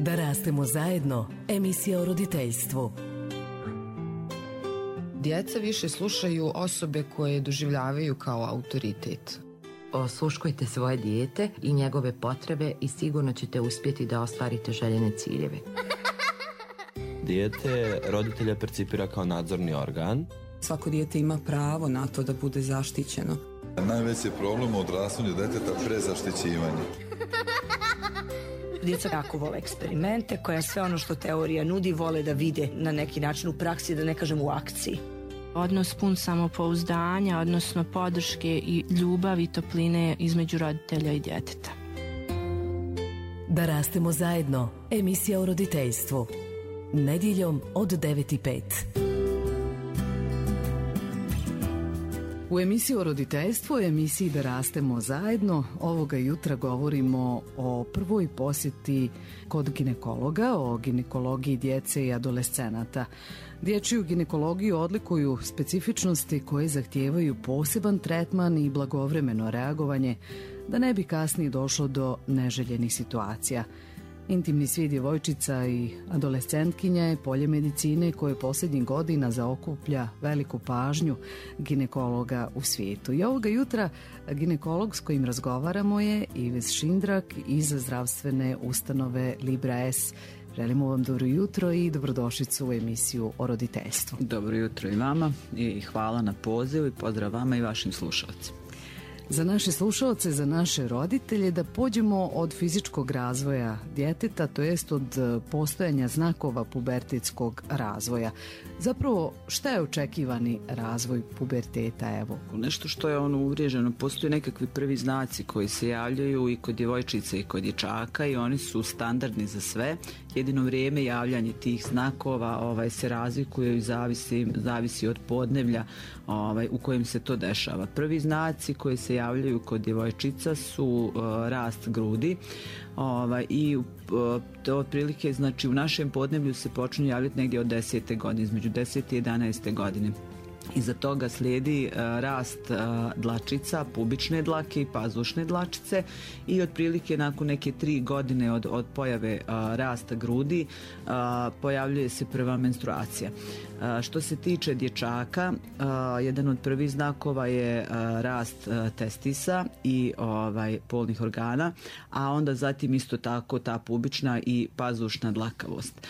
Da rastemo zajedno, emisija o roditeljstvu. Djeca više slušaju osobe koje doživljavaju kao autoritet. Osluškujte svoje dijete i njegove potrebe i sigurno ćete uspjeti da ostvarite željene ciljeve. Dijete roditelja percipira kao nadzorni organ. Svako dijete ima pravo na to da bude zaštićeno. Najveći problem u odrastanju djeteta prezaštićivanje. Djeca jako vole eksperimente, koja sve ono što teorija nudi vole da vide na neki način u praksi, da ne kažem u akciji. Odnos pun samopouzdanja, odnosno podrške i ljubavi i topline između roditelja i djeteta. Da rastemo zajedno, emisija o roditeljstvu. Nedjeljom od 9:05. U emisiji o roditeljstvu, emisiji Da rastemo zajedno, ovoga jutra govorimo o prvoj posjeti kod ginekologa, o ginekologiji djece i adolescenata. Dječju ginekologiju odlikuju specifičnosti koje zahtijevaju poseban tretman i blagovremeno reagovanje, da ne bi kasnije došlo do neželjenih situacija. Intimni svijet djevojčica i adolescentkinja je polje medicine koje posljednjih godina zaokuplja veliku pažnju ginekologa u svijetu. I ovoga jutra ginekolog s kojim razgovaramo je Ives Šindrak iz zdravstvene ustanove Libra S. Želimo vam dobro jutro i dobrodošlicu u emisiju o roditeljstvu. Dobro jutro i vama i hvala na pozivu i pozdrav vama i vašim slušalcima. Za naše slušalce, za naše roditelje, da pođemo od fizičkog razvoja djeteta, to jest od postojanja znakova pubertetskog razvoja. Zapravo, šta je očekivani razvoj puberteta, evo? Nešto što je uvriježeno, postoje nekakvi prvi znaci koji se javljaju i kod djevojčice i kod dječaka i oni su standardni za sve. Jedino vrijeme javljanje tih znakova se razlikuje i zavisi od podneblja u kojem se to dešava. Prvi znaci koji se javljaju kod djevojčica su rast grudi i to otprilike, znači u našem podneblju se počinju javljati negdje od 10. godine, između 10. i 11. godine. Iza toga slijedi rast dlačica, pubične dlake i pazušne dlačice i otprilike nakon neke 3 godine od pojave rasta grudi pojavljuje se prva menstruacija. Što se tiče dječaka, jedan od prvih znakova je rast testisa i polnih organa, a onda zatim isto tako ta pubična i pazušna dlakavost.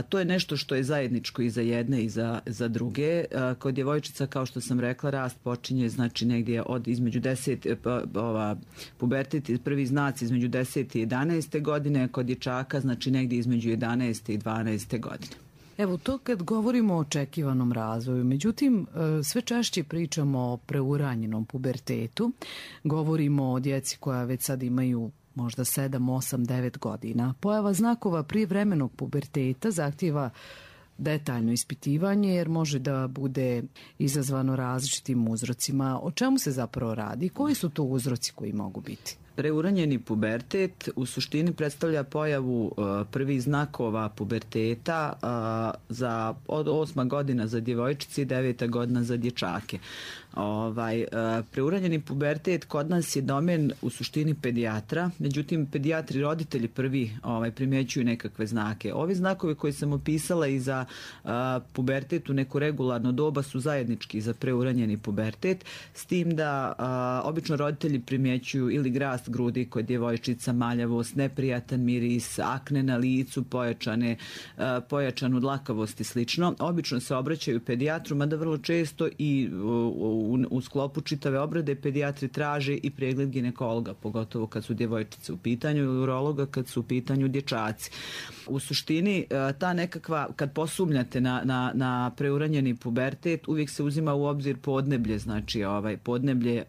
To je nešto što je zajedničko i za jedne i za druge. Kod djevojčica, kao što sam rekla, rast počinje znači negdje od između 10, pubertet, prvi znaci između 10. i 11. godine, kod dječaka znači negdje između 11. i 12. godine. Evo to kad govorimo o očekivanom razvoju, međutim sve češće pričamo o preuranjenom pubertetu, govorimo o djeci koja već sad imaju možda 7, 8, 9 godina. Pojava znakova prijevremenog puberteta zahtijeva detaljno ispitivanje jer može da bude izazvano različitim uzrocima. O čemu se zapravo radi? Koji su to uzroci koji mogu biti? Preuranjeni pubertet u suštini predstavlja pojavu prvih znakova puberteta od 8. godina za djevojčice i 9. godina za dječake. Preuranjeni pubertet kod nas je domen u suštini pedijatra, međutim pedijatri roditelji prvi primjećuju nekakve znake. Ovi znakovi koje sam opisala i za pubertet u neko regularno doba su zajednički za preuranjeni pubertet, s tim da obično roditelji primjećuju ili rast grudi kod djevojčica, maljavost, neprijatan miris, akne na licu, pojačanu dlakavost i slično. Obično se obraćaju pedijatru, mada vrlo često i u sklopu čitave obrade pedijatri traže i pregled ginekologa, pogotovo kad su djevojčice u pitanju, ili urologa kad su u pitanju dječaci. U suštini ta nekakva, kad posumnjate na preuranjeni pubertet, uvijek se uzima u obzir podneblje, znači podneblje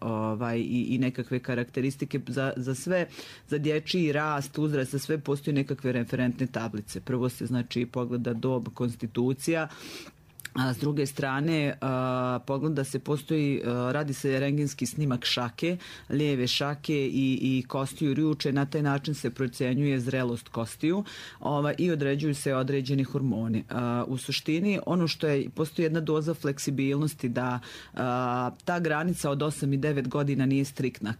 i nekakve karakteristike za sve, za dječji rast, uzrast, za sve postoji nekakve referentne tablice. Prvo se znači pogleda dob, konstitucija, A s druge strane, pogleda se, radi se rendgenski snimak šake, lijeve šake i kostiju rjuče, na taj način se procenjuje zrelost kostiju i određuju se određeni hormoni. U suštini, ono što postoji jedna doza fleksibilnosti da ta granica od 8 i 9 godina nije striktna.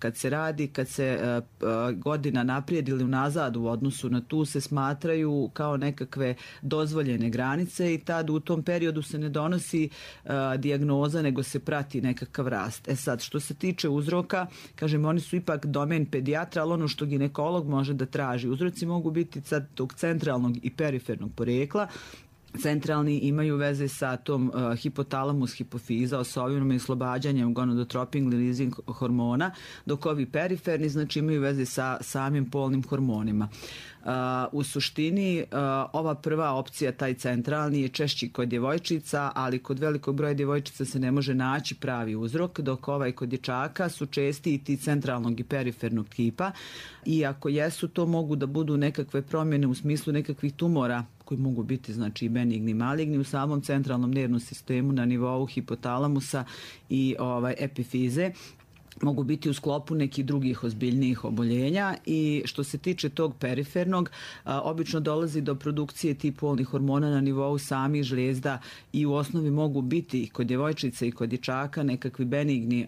Kad se godina naprijed ili unazad u odnosu na tu se smatraju kao nekakve dozvoljene granice i tad u tom periodu se ne donosi dijagnoza, nego se prati nekakav rast. Sad, što se tiče uzroka, kažem, oni su ipak domen pedijatra, ali ono što ginekolog može da traži. Uzroci mogu biti sad tog centralnog i perifernog porijekla. Centralni imaju veze sa tom hipotalamus hipofiza, osovinom i oslobađanjem gonadotropin releasing hormona, dok ovi periferni znači imaju veze sa samim polnim hormonima. U suštini ova prva opcija, taj centralni, je češći kod djevojčica, ali kod velikog broja djevojčica se ne može naći pravi uzrok, dok kod dječaka su česti i ti centralnog i perifernog tipa, i ako jesu, to mogu da budu nekakve promjene u smislu nekakvih tumora koji mogu biti znači benigni i maligni u samom centralnom nervnom sistemu na nivou hipotalamusa i epifize. Mogu biti u sklopu nekih drugih ozbiljnijih oboljenja, i što se tiče tog perifernog, obično dolazi do produkcije tih polnih hormona na nivou samih žlijezda i u osnovi mogu biti kod djevojčice i kod dječaka nekakvi benigni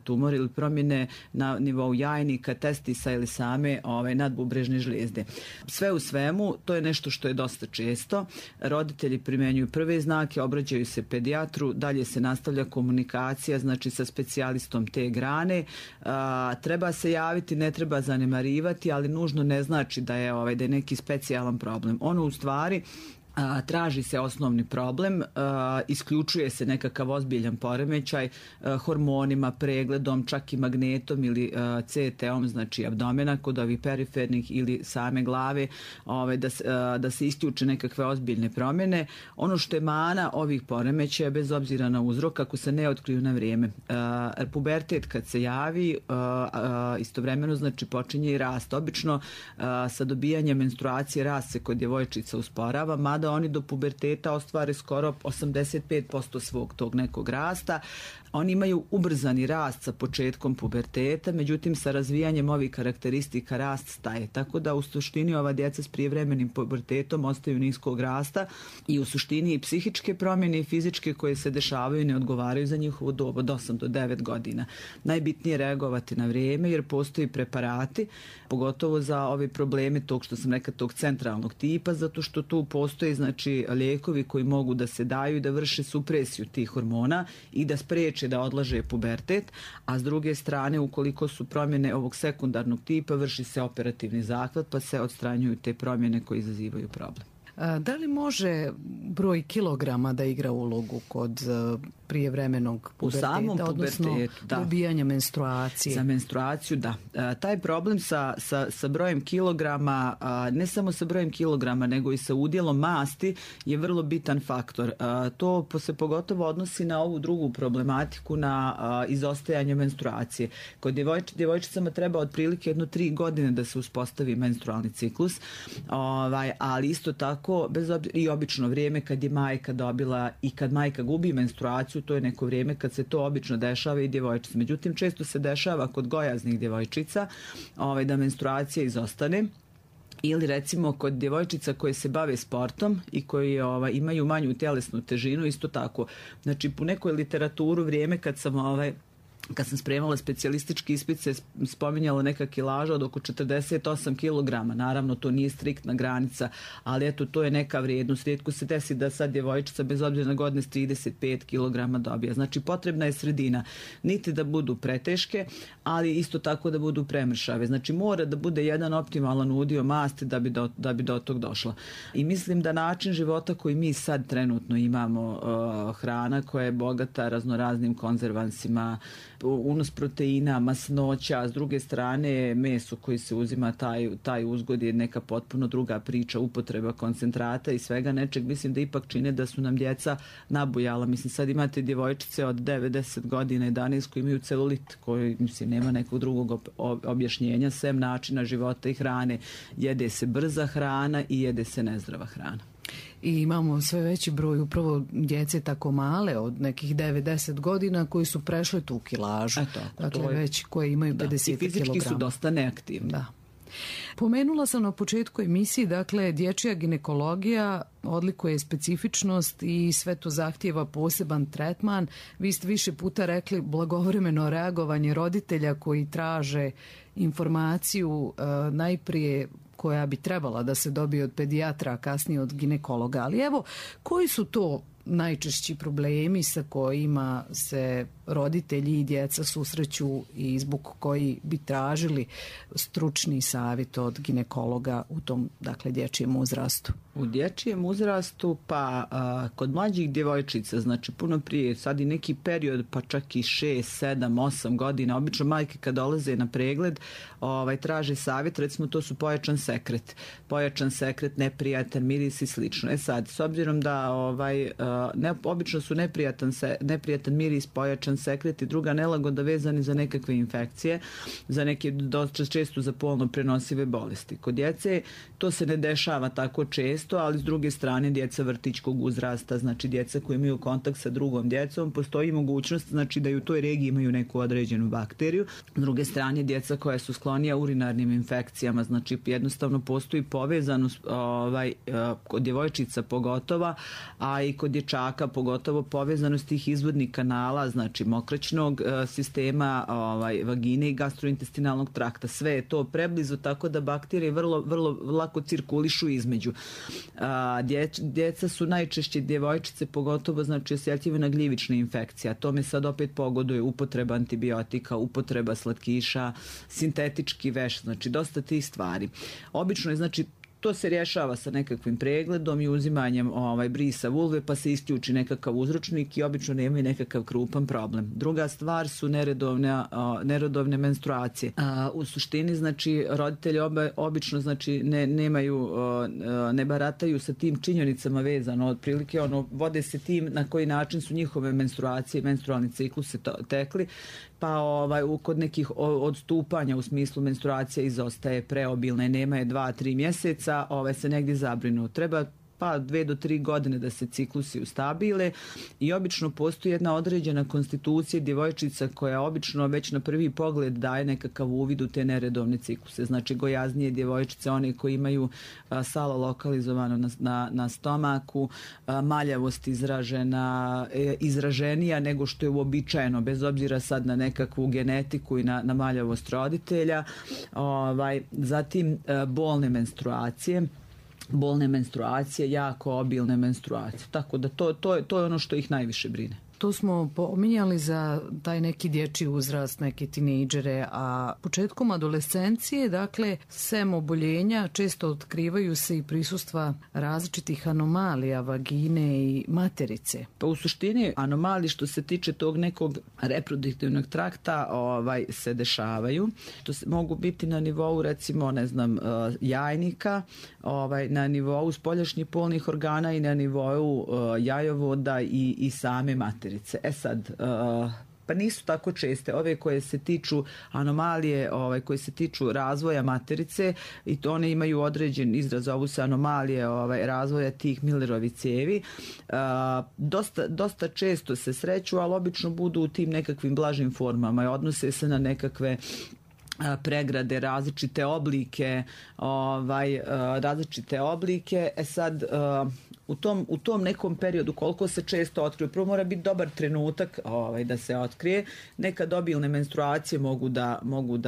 tumori ili promjene na nivou jajnika, testisa ili same nadbubrežne žlijezde. Sve u svemu, to je nešto što je dosta često. Roditelji primjenjuju prve znake, obraćaju se pedijatru, dalje se nastavlja komunikacija, znači sa specijalistom te grane. Treba se javiti, ne treba zanemarivati, ali nužno ne znači da je neki specijalan problem. Ono u stvari traži se osnovni problem, isključuje se nekakav ozbiljan poremećaj hormonima, pregledom, čak i magnetom ili CT-om, znači abdomena kod ovih perifernih ili same glave, da se isključe nekakve ozbiljne promjene. Ono što je mana ovih poremećaja, bez obzira na uzrok, ako se ne otkriju na vrijeme. Pubertet kad se javi, istovremeno znači počinje i rast. Obično sa dobijanjem menstruacije rast se kod djevojčica usporava, mada oni do puberteta ostvare skoro 85% svog tog nekog rasta. Oni imaju ubrzani rast sa početkom puberteta, međutim sa razvijanjem ovih karakteristika rast staje. Tako da u suštini ova djeca s prijevremenim pubertetom ostaju niskog rasta i u suštini i psihičke promjene i fizičke koje se dešavaju ne odgovaraju za njihovu dobu od 8 do 9 godina. Najbitnije je reagovati na vrijeme jer postoji preparati, pogotovo za ove probleme tog što sam rekla, tog centralnog tipa, zato što tu postoje znači lijekovi koji mogu da se daju i da vrše supresiju tih hormona i da spreče da odlaže pubertet, a s druge strane ukoliko su promjene ovog sekundarnog tipa vrši se operativni zahvat pa se odstranjuju te promjene koje izazivaju problem. Da li može broj kilograma da igra ulogu kod prijevremenog puberteta, u samom pubertetu, odnosno dobijanja menstruacije? Za menstruaciju, da. Taj problem sa brojem kilograma, ne samo sa brojem kilograma, nego i sa udjelom masti je vrlo bitan faktor. To se pogotovo odnosi na ovu drugu problematiku, na izostajanje menstruacije. Kod djevojčicama treba otprilike 3 godine da se uspostavi menstrualni ciklus, ali isto tako i obično vrijeme kad je majka dobila i kad majka gubi menstruaciju, to je neko vrijeme kad se to obično dešava i djevojčica. Međutim, često se dešava kod gojaznih djevojčica da menstruacija izostane. Ili recimo kod djevojčica koje se bave sportom i koji imaju manju tjelesnu težinu, isto tako. Znači, po nekoj literaturu vrijeme kad sam spremala specijalistički ispit se spominjala neka kilaža od oko 48 kg. Naravno, to nije striktna granica, ali eto, to je neka vrijednost. Rijetko se desi da sad djevojčica bez obzira na godine s 35 kg dobija. Znači, potrebna je sredina. Niti da budu preteške, ali isto tako da budu premršave. Znači, mora da bude jedan optimalan udio masti da bi do tog došla. I mislim da način života koji mi sad trenutno imamo, hrana koja je bogata raznoraznim konzervansima, unos proteina, masnoća, s druge strane meso koji se uzima, taj uzgod je neka potpuno druga priča, upotreba koncentrata i svega nečeg. Mislim da ipak čine da su nam djeca nabujala. Mislim, sad imate djevojčice od 9-10 godina, 11 koji imaju celulit, koji, mislim, nema nekog drugog objašnjenja sem načina života i hrane. Jede se brza hrana i jede se nezdrava hrana. i imamo sve veći broj upravo djece tako male od nekih 9-10 godina koji su prešle tu kilažu. Dakle, već koje imaju 50 kg. I fizički su dosta neaktivni. Da. Pomenula sam na početku emisiji, dakle, dječja ginekologija odlikuje specifičnost i sve to zahtijeva poseban tretman. Vi ste više puta rekli blagovremeno reagovanje roditelja koji traže informaciju najprije koja bi trebala da se dobije od pedijatra, a kasnije od ginekologa. Ali evo, koji su to najčešći problemi sa kojima se roditelji i djeca susreću i zbog koji bi tražili stručni savjet od ginekologa u tom, dakle, dječjem uzrastu? U dječjem uzrastu, pa kod mlađih djevojčica, znači puno prije, sad i neki period, pa čak i 6, 7, 8 godina, obično majke kad dolaze na pregled, traže savjet, recimo to su pojačan sekret, neprijatan miris i slično. Sad, s obzirom da obično su neprijatan miris, pojačan sekret i druga nelagoda vezani za nekakve infekcije, za neke dosta često za polno prenosive bolesti. Kod djece to se ne dešava tako često, ali s druge strane djeca vrtićkog uzrasta, znači djeca koji imaju kontakt sa drugom djecom, postoji mogućnost, znači da i u toj regiji imaju neku određenu bakteriju. S druge strane djeca koja su sklonija urinarnim infekcijama, znači jednostavno postoji povezanost kod djevojčica pogotovo, a i kod dječaka pogotovo povezanost tih izvodnih kanala, znači mokraćnog sistema, vagine i gastrointestinalnog trakta. Sve je to preblizu, tako da bakterije vrlo lako cirkulišu između. Djeca su najčešće, djevojčice pogotovo, znači osjetljive na gljivične infekcije. Tome sad opet pogoduje upotreba antibiotika, upotreba slatkiša, sintetički veš, znači dosta tih stvari. Obično je, znači, to se rješava sa nekakvim pregledom i uzimanjem brisa vulve, pa se isključi nekakav uzročnik i obično nemaju nekakav krupan problem. Druga stvar su neredovne menstruacije. U suštini, znači, roditelji obično, znači, ne barataju sa tim činjenicama vezano, otprilike vode se tim na koji način su njihove menstruacije, menstrualni cikluse tekli, pa kod nekih odstupanja u smislu menstruacija izostaje preobilne, nema je 2-3 mjeseca, se negdje zabrinu. Treba pa 2 do 3 godine da se ciklusi ustabile i obično postoji jedna određena konstitucija djevojčica koja obično već na prvi pogled daje nekakav uvid u te neredovne cikluse. Znači gojaznije djevojčice, one koji imaju salo lokalizovano na stomaku, maljavost izraženija nego što je uobičajeno, bez obzira sad na nekakvu genetiku i na maljavost roditelja. Zatim bolne menstruacije, jako obilne menstruacije. Tako da to je ono što ih najviše brine. To smo pominjali za taj neki dječji uzrast, neke tinejdžere, a početkom adolescencije, dakle, sem oboljenja, često otkrivaju se i prisustva različitih anomalija vagine i materice. Pa u suštini anomalije što se tiče tog nekog reproduktivnog trakta se dešavaju. To mogu biti na nivou, recimo, jajnika, na nivou spoljašnjih polnih organa i na nivou jajovoda i same materice. Sad, pa nisu tako česte ove koje se tiču anomalije, koje se tiču razvoja materice, i to one imaju određen izraz, zovu se anomalije razvoja tih Millerovih cijevi. Dosta često se sreću, ali obično budu u tim nekakvim blažim formama i odnose se na nekakve pregrade, različite oblike. Sad, u tom nekom periodu koliko se često otkrije, prvo mora biti dobar trenutak da se otkrije. Nekad obilne menstruacije mogu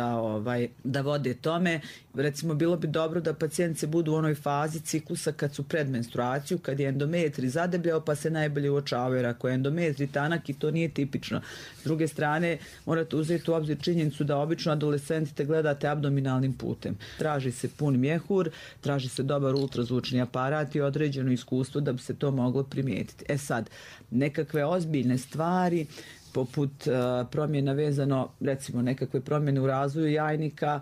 da vode tome. Recimo, bilo bi dobro da pacijentice budu u onoj fazi ciklusa kad su pred menstruaciju, kad je endometri zadebljao, pa se najbolje uočavaju, jer ako je endometri tanak i to nije tipično. S druge strane, morate uzeti u obzir činjenicu da obično adolescentite gledate abdominalnim putem. Traži se pun mjehur, traži se dobar ultrazvučni aparat i određeno iskustvo da bi se to moglo primijetiti. Sad, nekakve ozbiljne stvari poput promjena vezano, recimo nekakve promjene u razvoju jajnika,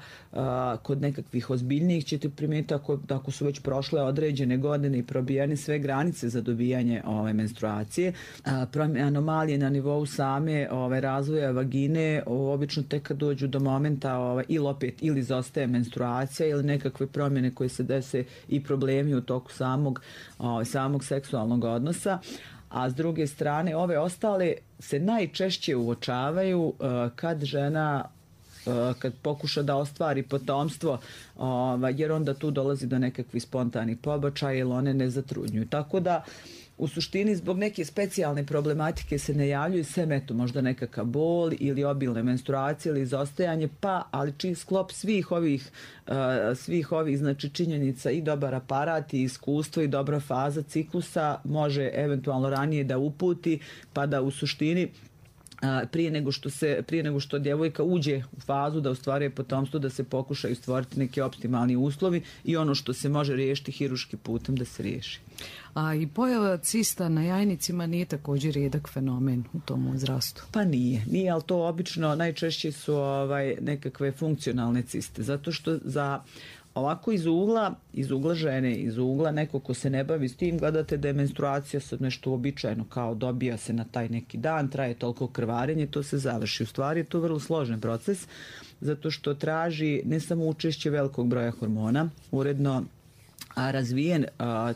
kod nekakvih ozbiljnijih ćete primijetiti ako su već prošle određene godine i probijene sve granice za dobijanje menstruacije. Anomalije na nivou same razvoja vagine obično tek kad dođu do momenta ili izostaje menstruacija ili nekakve promjene koje se dese i problemi u toku samog seksualnog odnosa. A s druge strane, ove ostale se najčešće uočavaju kad žena kad pokuša da ostvari potomstvo, jer onda tu dolazi do nekakvih spontanih pobačaja ili one ne zatrudnjuju. Tako da u suštini zbog neke specijalne problematike se ne javljaju sem eto možda nekakav bol ili obilne menstruacije ili izostajanje, ali sklop svih ovih znači činjenica i dobar aparat i iskustvo i dobra faza ciklusa može eventualno ranije da uputi pa da u suštini prije nego što djevojka uđe u fazu da ostvaruje potomstvo, da se pokušaju stvoriti neki optimalni uslovi i ono što se može riješiti hiruškim putem da se riješi. A i pojava cista na jajnicima nije također rijedak fenomen u tom uzrastu? Pa nije, ali to obično najčešće su nekakve funkcionalne ciste, zato što za ovako iz ugla žene, iz ugla neko ko se ne bavi s tim, gledate da je menstruacija sad nešto uobičajeno, kao dobija se na taj neki dan, traje toliko krvarenje, to se završi. U stvari je to vrlo složen proces, zato što traži ne samo učešće velikog broja hormona, uredno razvijen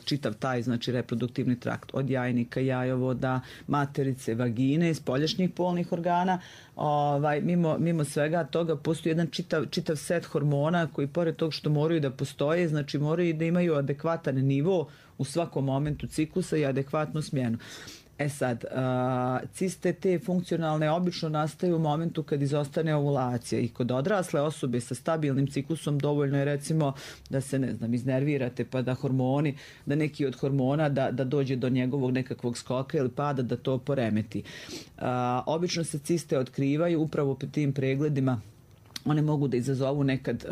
čitav taj znači reproduktivni trakt od jajnika, jajovoda, materice, vagine, spoljašnjih polnih organa. Mimo svega toga postoji jedan čitav set hormona koji pored tog što moraju da postoje, znači moraju da imaju adekvatan nivo u svakom momentu ciklusa i adekvatnu smjenu. Sad, ciste te funkcionalne obično nastaju u momentu kad izostane ovulacija i kod odrasle osobe sa stabilnim ciklusom dovoljno je recimo da se iznervirate pa da neki od hormona da dođe do njegovog nekakvog skoka ili pada da to poremeti. Obično se ciste otkrivaju upravo po tim pregledima. One mogu da izazovu nekad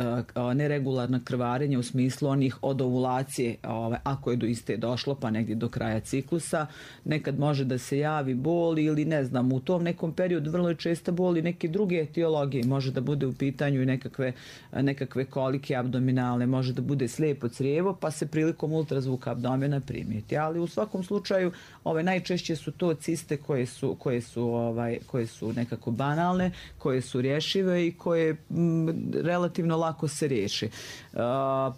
neregularna krvarenja u smislu onih od ovulacije, ako je do iste došlo pa negdje do kraja ciklusa. Nekad može da se javi bol ili u tom nekom periodu vrlo je česta bol i neke druge etiologije. Može da bude u pitanju i nekakve kolike abdominalne, može da bude slijepo crijevo pa se prilikom ultrazvuka abdomena primijeti. Ali u svakom slučaju najčešće su to ciste koje su nekako banalne, koje su rješive i koje relativno lako se riješi.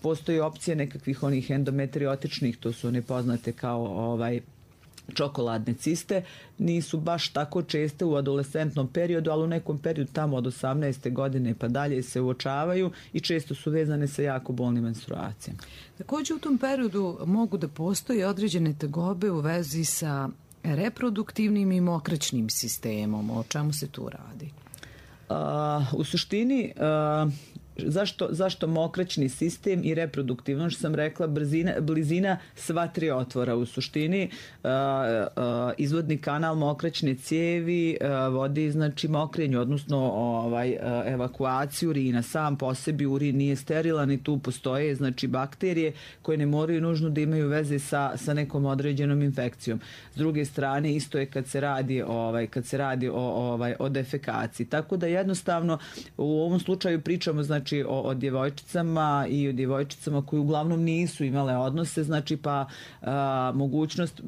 Postoji opcije nekakvih onih endometriotičnih, to su one poznate kao čokoladne ciste, nisu baš tako česte u adolescentnom periodu, ali u nekom periodu tamo od 18. godine pa dalje se uočavaju i često su vezane sa jako bolnim menstruacijama. Također u tom periodu mogu da postoji određene tegobe u vezi sa reproduktivnim i mokraćnim sistemom. O čemu se tu radi? U suštini, zašto mokraćni sistem i reproduktivno, što sam rekla, blizina sva tri otvora. U suštini izvodni kanal mokraćne cijevi vodi znači mokrenju, odnosno evakuaciju urina. Sam po sebi urin nije sterilan i tu postoje znači bakterije koje ne moraju nužno da imaju veze sa nekom određenom infekcijom. S druge strane isto je kad se radi o defekaciji. Tako da jednostavno u ovom slučaju pričamo znači o djevojčicama i o djevojčicama koji uglavnom nisu imale odnose, znači pa mogućnost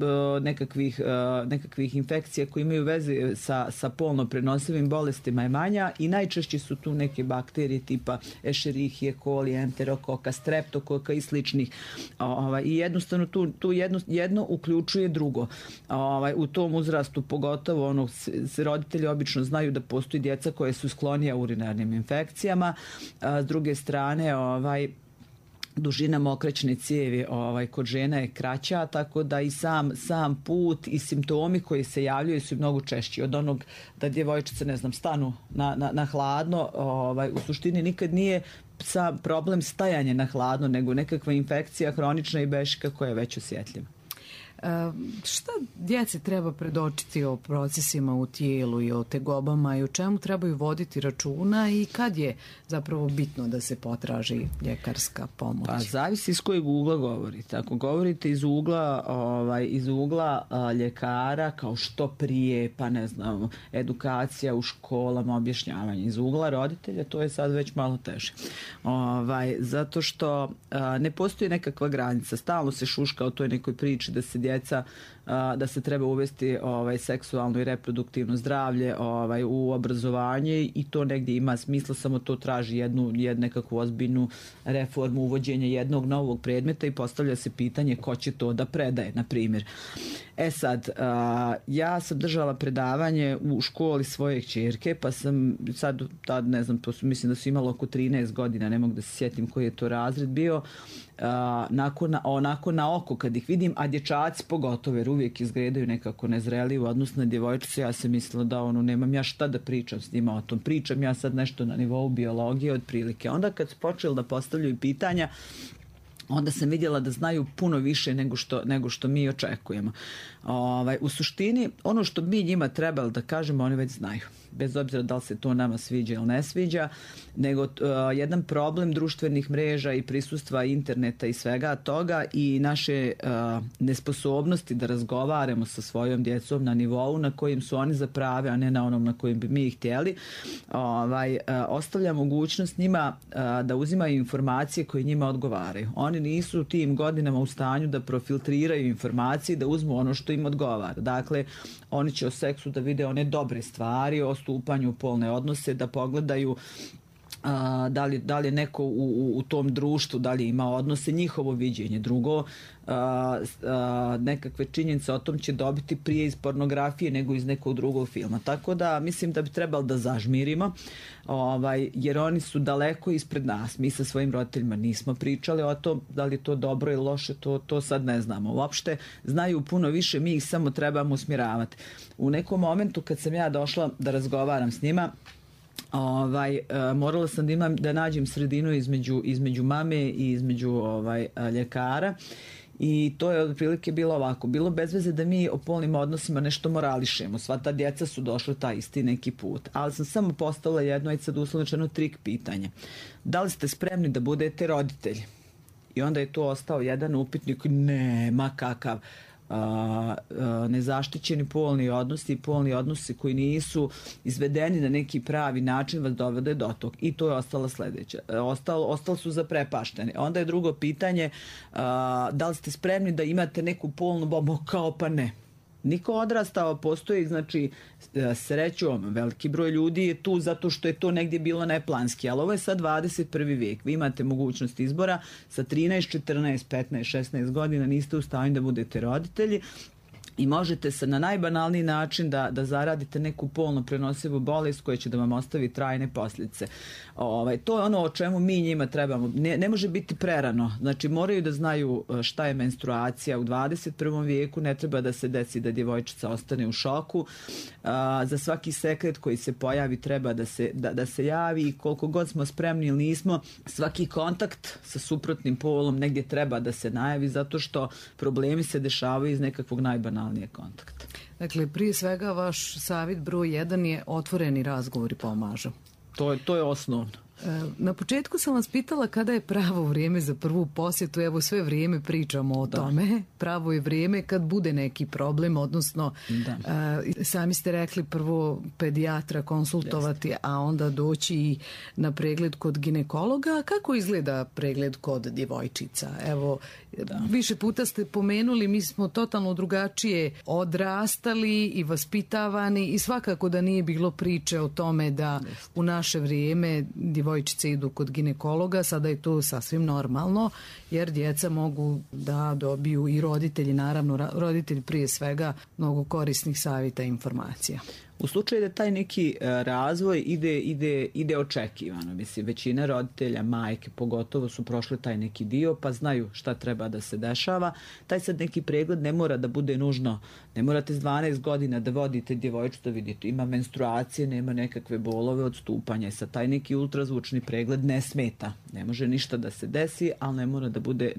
nekakvih infekcija koje imaju veze sa polno prenosivim bolestima je manja i najčešće su tu neke bakterije tipa Escherichia coli, enterokoka, streptokoka i sličnih. I jednostavno tu jedno uključuje drugo. U tom uzrastu pogotovo roditelji obično znaju da postoji djeca koje su sklonija urinarnim infekcijama. S druge strane, dužina mokraćne cijevi kod žena je kraća, tako da i sam put i simptomi koji se javljaju su mnogo češći od onog da djevojčice, stanu na hladno. U suštini nikad nije problem stajanje na hladno, nego nekakva infekcija hronična i bešika koja je već osjetljiva. Šta djeci treba predočiti o procesima u tijelu i o tegobama i o čemu trebaju voditi računa i kad je zapravo bitno da se potraži ljekarska pomoć? Pa zavisi iz kojeg ugla govorite. Ako govorite iz ugla ljekara, kao što prije, pa ne znam, edukacija u školama, objašnjavanje. Iz ugla roditelja to je sad već malo teže. Zato što ne postoji nekakva granica. Stalno se šuška o toj nekoj priči da se djeca, da se treba uvesti seksualno i reproduktivno zdravlje u obrazovanje i to negdje ima smisla, samo to traži jednu nekakvu ozbiljnu reformu, uvođenje jednog novog predmeta i postavlja se pitanje ko će to da predaje, na primjer. Sad, ja sam držala predavanje u školi svoje kćerke, pa sam tad ne znam, mislim da su imali oko 13 godina, ne mogu da se sjetim koji je to razred bio, onako na oko kad ih vidim, a dječaci pogotovo, jer uvijek izgledaju nekako nezreli u odnosu na djevojčice, ja sam mislila da nemam ja šta da pričam s njima o tom, pričam ja sad nešto na nivou biologije otprilike. Onda kad su počeli da postavljaju pitanja, onda sam vidjela da znaju puno više nego što mi očekujemo. U suštini, ono što mi njima trebali da kažemo, oni već znaju. Bez obzira da li se to nama sviđa ili ne sviđa, nego jedan problem društvenih mreža i prisustva interneta i svega toga i naše nesposobnosti da razgovaramo sa svojom djecom na nivou na kojim su oni zaprave, a ne na onom na kojim bi mi htjeli, ostavlja mogućnost njima da uzimaju informacije koje njima odgovaraju. Oni nisu u tim godinama u stanju da profiltriraju informacije, da uzmu ono što im odgovara. Dakle, oni će o seksu da vide one dobre stvari, o stupanju u polne odnose, da pogledaju da li je neko u tom društvu, da li ima odnose, njihovo viđenje. Drugo, nekakve činjenice o tom će dobiti prije iz pornografije nego iz nekog drugog filma. Tako da mislim da bi trebalo da zažmirimo, jer oni su daleko ispred nas. Mi sa svojim roditeljima nismo pričali o tom, da li je to dobro ili loše, to sad ne znamo. Uopšte znaju puno više, mi ih samo trebamo usmjeravati. U nekom momentu kad sam ja došla da razgovaram s njima, morala sam da nađem sredinu između mame i između ljekara i to je otprilike bilo ovako. Bilo bez veze da mi o polnim odnosima nešto morališemo. Sva ta djeca su došla taj isti neki put. Ali sam samo postavila jedno, aj sad uslovno trik pitanje. Da li ste spremni da budete roditelji? I onda je to ostao jedan upitnik. Nema kakav. Nezaštićeni polni odnosi i polni odnosi koji nisu izvedeni na neki pravi način vas dovede do tog. I to je ostala sljedeća. Ostali su zaprepašteni. Onda je drugo pitanje, da li ste spremni da imate neku polnu bombu? Kao pa ne. Niko odrastao, postoji, znači, srećom, veliki broj ljudi je tu zato što je to negdje bilo neplanski, ali ovo je sad 21. vijek. Vi imate mogućnost izbora sa 13, 14, 15, 16 godina, niste u stanju da budete roditelji i možete se na najbanalniji način da zaradite neku polno prenosivu bolest koja će da vam ostavi trajne posljedice. To je ono o čemu mi njima trebamo. Ne može biti prerano. Znači moraju da znaju šta je menstruacija u 21. vijeku, ne treba da se desi da djevojčica ostane u šoku. Za svaki sekret koji se pojavi treba da se javi i koliko god smo spremni ili nismo, svaki kontakt sa suprotnim polom negdje treba da se najavi zato što problemi se dešavaju iz nekakvog najbanalnijeg kontakta. Dakle, prije svega vaš savjet broj 1 je otvoreni razgovori pomažu. To je osnovno. Na početku sam vas pitala kada je pravo vrijeme za prvu posjetu, evo sve vrijeme pričamo o tome. Pravo je vrijeme kad bude neki problem, odnosno sami ste rekli prvo pedijatra konsultovati, a onda doći i na pregled kod ginekologa. Kako izgleda pregled kod djevojčica? Evo, više puta ste pomenuli, mi smo totalno drugačije odrastali i vaspitavani i svakako da nije bilo priče o tome da u naše vrijeme djevojčice idu kod ginekologa, sada je to sasvim normalno, jer djeca mogu da dobiju i roditelji, naravno roditelji prije svega, mnogo korisnih savjeta i informacija. U slučaju da taj neki razvoj ide očekivano. Mislim, većina roditelja, majke pogotovo su prošle taj neki dio pa znaju šta treba da se dešava. Taj sad neki pregled ne mora da bude nužno, ne morate s 12 godina da vodite djevojčicu da vidite ima menstruacije, nema nekakve bolove, odstupanja. Sad taj neki ultrazvučni pregled ne smeta. Ne može ništa da se desi, ali ne mora da bude,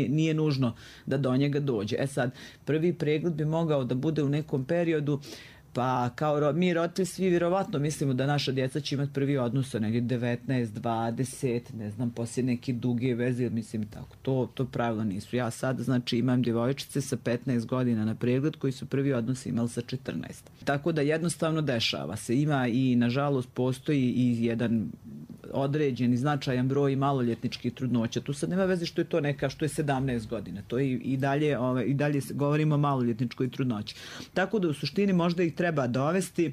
nije nužno da do njega dođe. Sad, prvi pregled bi mogao da bude u nekom periodu. Pa kao mi roditelji svi vjerovatno mislimo da naša djeca će imati prvi odnos negdje 19, 20, ne znam, poslije neke duge veze, mislim tako. To pravilo nisu. Ja sad znači imam djevojčice sa 15 godina na pregled koji su prvi odnos imali sa 14. Tako da jednostavno dešava se. Ima i nažalost postoji i jedan određeni značajan broj maloljetničkih trudnoća. Tu sad nema veze što je to neka, što je 17 godina. To je i dalje govorimo o maloljetničkoj trudnoći. Tako da u suštini možda ih treba dovesti,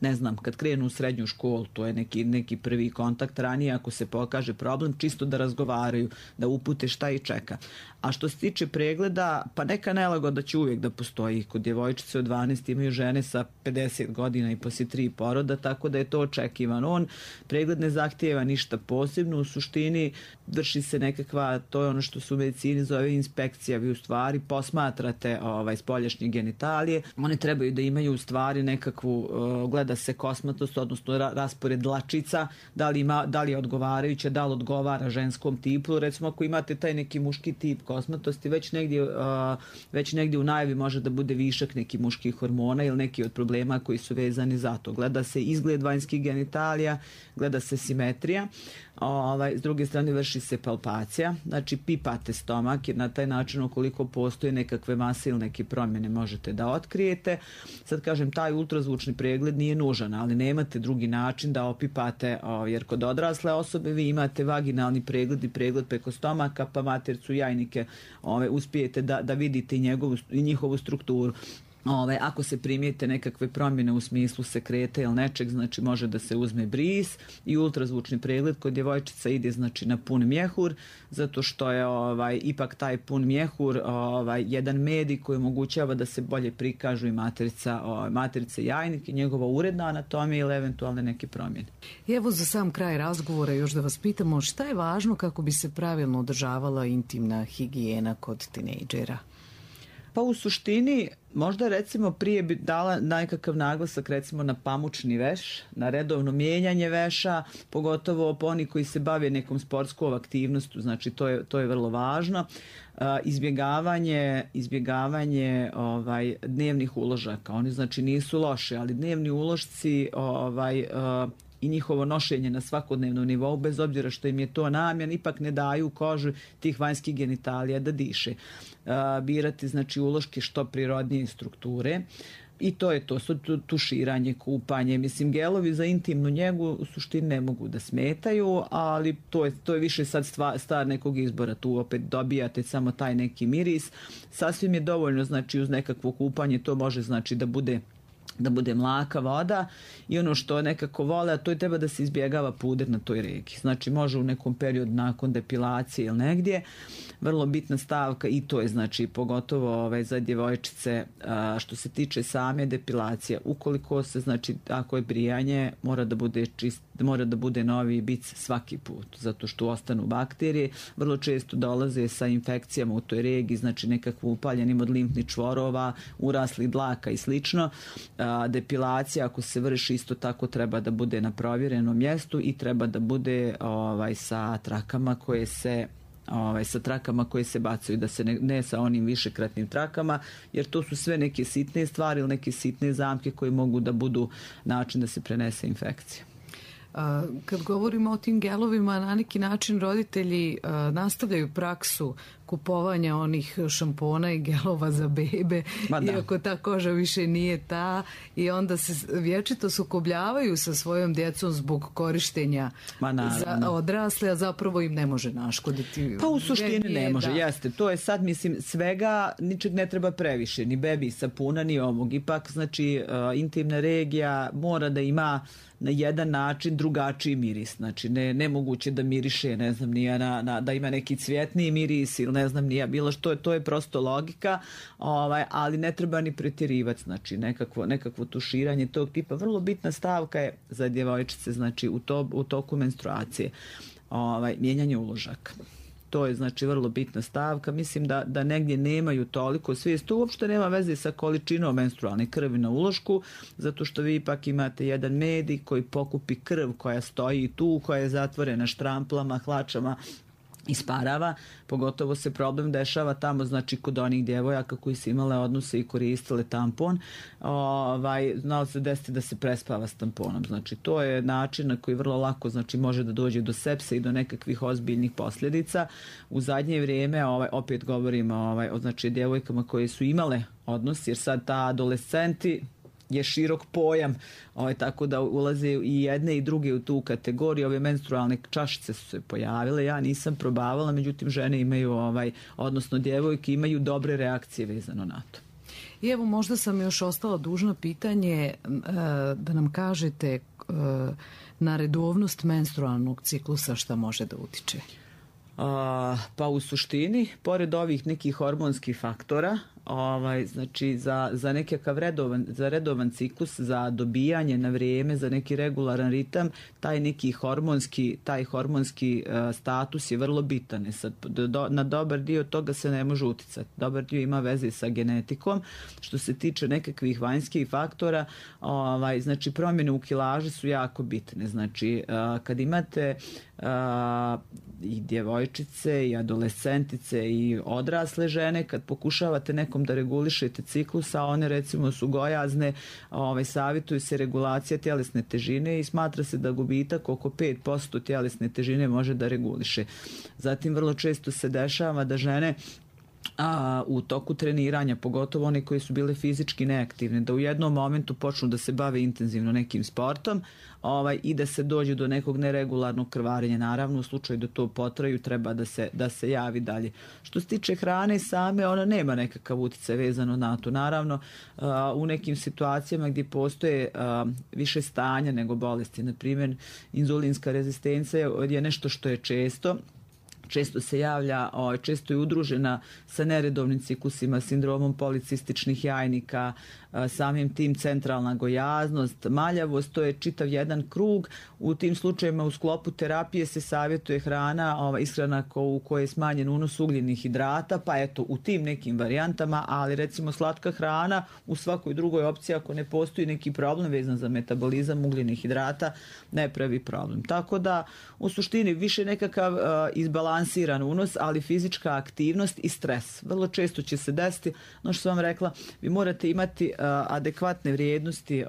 ne znam, kad krenu u srednju školu, to je neki prvi kontakt ranije, ako se pokaže problem, čisto da razgovaraju, da upute šta ih čeka. A što se tiče pregleda, pa neka nelagoda će uvijek da postoji. Kod djevojčice od 12 imaju žene sa 50 godina i poslije 3 poroda, tako da je to očekivano. Pregled ne zahtijeva ništa posebno, u suštini vrši se nekakva, to je ono što se u medicini zove inspekcija, vi u stvari posmatrate spoljašnje genitalije, one trebaju da imaju u stvari nekakvu, gleda se kosmatost, odnosno raspored dlačica, da li je odgovarajuća, da li odgovara ženskom tipu. Recimo ako imate taj neki muški tip kosmatosti, već negdje u najavi može da bude višak nekih muških hormona ili neki od problema koji su vezani za to. Gleda se izgled vanjskih genitalija, gleda se simetrija, s druge strane vrši se palpacija, znači pipate stomak, jer na taj način ukoliko postoje nekakve mase ili neke promjene možete da otkrijete. Sad kažem, taj ultrazvučni pregled nije nužan, ali nemate drugi način da opipate, jer kod odrasle osobe vi imate vaginalni pregled i pregled preko stomaka, pa matercu, jajnike, uspijete da vidite i njihovu strukturu. Ako se primijete nekakve promjene u smislu sekreta ili nečeg, znači može da se uzme bris i ultrazvučni pregled kod djevojčica ide znači na pun mjehur, zato što je ipak taj pun mjehur jedan medij koji omogućava da se bolje prikažu i materica jajnik i njegova uredna anatomija ili eventualne neke promjene. I evo za sam kraj razgovora još da vas pitamo šta je važno kako bi se pravilno održavala intimna higijena kod tinejdžera? Pa u suštini možda recimo prije bi dala nekakav naglasak recimo na pamučni veš, na redovno mijenjanje veša, pogotovo oni koji se bave nekom sportskom aktivnostu, znači to je vrlo važno. Izbjegavanje dnevnih uložaka, oni znači nisu loši, ali dnevni ulošci i njihovo nošenje na svakodnevnom nivou, bez obzira što im je to namjen, ipak ne daju kožu tih vanjskih genitalija da diše. Birati znači uloške što prirodnije strukture i to je to, tuširanje, kupanje, mislim gelovi za intimnu njegu u suštini ne mogu da smetaju, ali to je više sad stvar nekog izbora, tu opet dobijate samo taj neki miris, sasvim je dovoljno znači uz nekakvo kupanje, to može znači da bude mlaka voda i ono što nekako vole, a to je treba da se izbjegava puder na toj reki. Znači može u nekom periodu nakon depilacije ili negdje. Vrlo bitna stavka i to je znači pogotovo za djevojčice što se tiče same depilacije. Ukoliko se znači ako je brijanje mora da bude novi bic svaki put, zato što ostanu bakterije. Vrlo često dolaze sa infekcijama u toj regiji, znači nekakvo upaljenim od limfnih čvorova, uraslih dlaka i slično. Depilacija ako se vrši isto tako treba da bude na provjerenom mjestu i treba da bude sa trakama koje se bacaju, da se ne sa onim višekratnim trakama, jer to su sve neke sitne stvari ili neke sitne zamke koje mogu da budu način da se prenese infekcija. Kad govorimo o tim gelovima, na neki način roditelji nastavljaju praksu kupovanja onih šampona i gelova za bebe, iako ta koža više nije ta, i onda se vječito sukobljavaju sa svojom djecom zbog korištenja za odrasle, a zapravo im ne može naškoditi. Pa u suštini ne može, jeste. To je sad, mislim, svega, ničeg ne treba previše, ni bebi sapuna, ni ovog. Ipak, znači, intimna regija mora da ima na jedan način drugačiji miris. Znači, nemoguće da miriše, ne znam, da ima neki cvjetniji miris ili ne znam nija bilo što, to je prosto logika, ali ne treba ni pretjerivati, znači nekakvo tuširanje tog tipa. Vrlo bitna stavka je za djevojčice, znači u toku menstruacije, mijenjanje uložaka. To je znači vrlo bitna stavka. Mislim da negdje nemaju toliko svijest. To uopšte nema veze sa količinom menstrualne krvi na ulošku, zato što vi ipak imate jedan medij koji pokupi krv koja stoji tu, koja je zatvorena štramplama, hlačama, isparava. Pogotovo se problem dešava tamo, znači kod onih djevojaka koji su imale odnose i koristile tampon, znalo se desiti da se prespava s tamponom. Znači to je način na koji vrlo lako znači može da dođe do sepse i do nekakvih ozbiljnih posljedica. U zadnje vrijeme opet govorimo o znači djevojkama koje su imale odnos, jer sad ta adolescenti je širok pojam, tako da ulaze i jedne i druge u tu kategoriju. Ove menstrualne čašice su se pojavile, ja nisam probavala, međutim žene imaju, odnosno djevojke imaju dobre reakcije vezano na to. I evo, možda sam još ostala dužna pitanje da nam kažete na redovnost menstrualnog ciklusa šta može da utiče? Pa u suštini, pored ovih nekih hormonskih faktora, znači za nekakav redovan ciklus, za dobijanje na vrijeme, za neki regularan ritam, taj neki hormonski status je vrlo bitan. Sad, na dobar dio toga se ne može uticati. Dobar dio ima veze sa genetikom. Što se tiče nekakvih vanjskih faktora, znači promjene u kilaži su jako bitne. Znači, kad imate i djevojčice i adolescentice i odrasle žene, kad pokušavate nekom da regulišete ciklus, a one recimo su gojazne, savjetuju se regulacija tjelesne težine i smatra se da gubitak oko 5% tjelesne težine može da reguliše. Zatim vrlo često se dešava da žene u toku treniranja, pogotovo one koji su bile fizički neaktivne, da u jednom momentu počnu da se bave intenzivno nekim sportom i da se dođe do nekog neregularnog krvarenja. Naravno, u slučaju da to potraju, treba da se javi dalje. Što se tiče hrane same, ona nema nekakav utjecaj vezano na to. Naravno, u nekim situacijama gdje postoje više stanja nego bolesti, na primjer, inzulinska rezistencija je nešto što je često se javlja, često je udružena sa neredovnim ciklusima, sindromom policističnih jajnika, samim tim centralna gojaznost, maljavost, to je čitav jedan krug. U tim slučajevima u sklopu terapije se savjetuje ishrana u kojoj je smanjen unos ugljenih hidrata, pa eto u tim nekim varijantama, ali recimo slatka hrana u svakoj drugoj opciji, ako ne postoji neki problem vezan za metabolizam ugljenih hidrata, ne pravi problem. Tako da u suštini više nekakav izbalansiran unos, ali fizička aktivnost i stres. Vrlo često će se desiti, no što sam vam rekla, vi morate imati adekvatne vrijednosti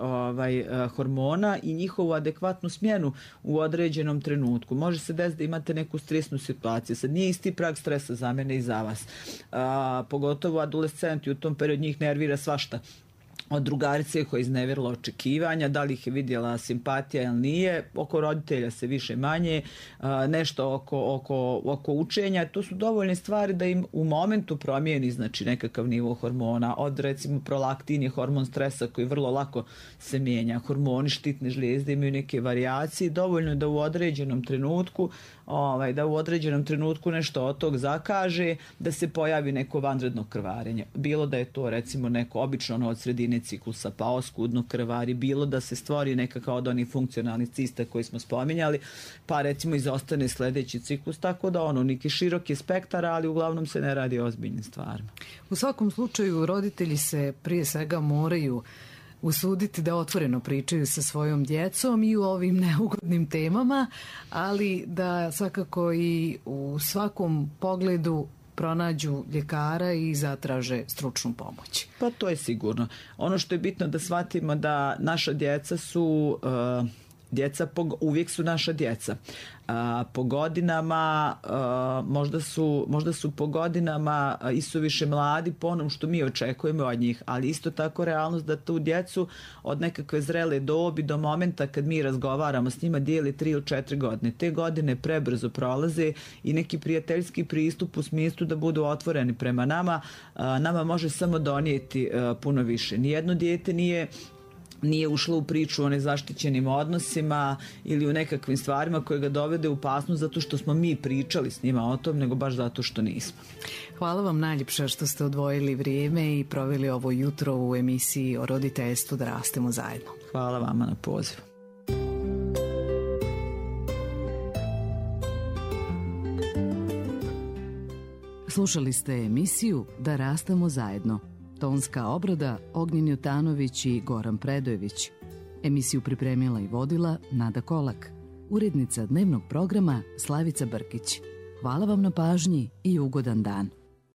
hormona i njihovu adekvatnu smjenu u određenom trenutku. Može se desiti da imate neku stresnu situaciju. Sad nije isti prag stresa za mene i za vas. Pogotovo adolescenti, u tom periodu njih nervira svašta. Od drugarice koja je iznevjerila očekivanja, da li ih je vidjela simpatija ili nije, oko roditelja se više manje, nešto oko učenja. To su dovoljne stvari da im u momentu promijeni znači nekakav nivo hormona. Od recimo prolaktin je hormon stresa koji vrlo lako se mijenja. Hormoni štitne žlijezde imaju neke varijacije. Dovoljno je da u određenom trenutku nešto od tog zakaže, da se pojavi neko vanredno krvarenje. Bilo da je to recimo neko obično od sredine ciklusa pa oskudno krvari, bilo da se stvori nekakav od onih funkcionalnih cista koji smo spominjali, pa recimo izostane sljedeći ciklus, tako da neki široki spektar, ali uglavnom se ne radi o ozbiljnim stvarima. U svakom slučaju roditelji se prije svega moraju usuditi da otvoreno pričaju sa svojom djecom i u ovim neugodnim temama, ali da svakako i u svakom pogledu pronađu ljekara i zatraže stručnu pomoć. Pa to je sigurno. Ono što je bitno da shvatimo da naša djeca su uvijek su naša djeca. Po godinama, možda su po godinama isuviše mladi po onom što mi očekujemo od njih, ali isto tako realnost da tu djecu od nekakve zrele dobi do momenta kad mi razgovaramo s njima dijeli 3 ili 4 godine. Te godine prebrzo prolaze i neki prijateljski pristup u smislu da budu otvoreni prema nama može samo donijeti puno više. Nijedno dijete nije nije ušla u priču o nezaštićenim odnosima ili u nekakvim stvarima koje ga dovede u opasnost zato što smo mi pričali s njima o tom, nego baš zato što nismo. Hvala vam najljepša što ste odvojili vrijeme i proveli ovo jutro u emisiji o roditeljstvu Da rastemo zajedno. Hvala vama na pozivu. Slušali ste emisiju Da rastemo zajedno. Tonska obrada Ognjen Jutanović i Goran Predojević. Emisiju pripremila i vodila Nada Kolak. Urednica dnevnog programa Slavica Brkić. Hvala vam na pažnji i ugodan dan.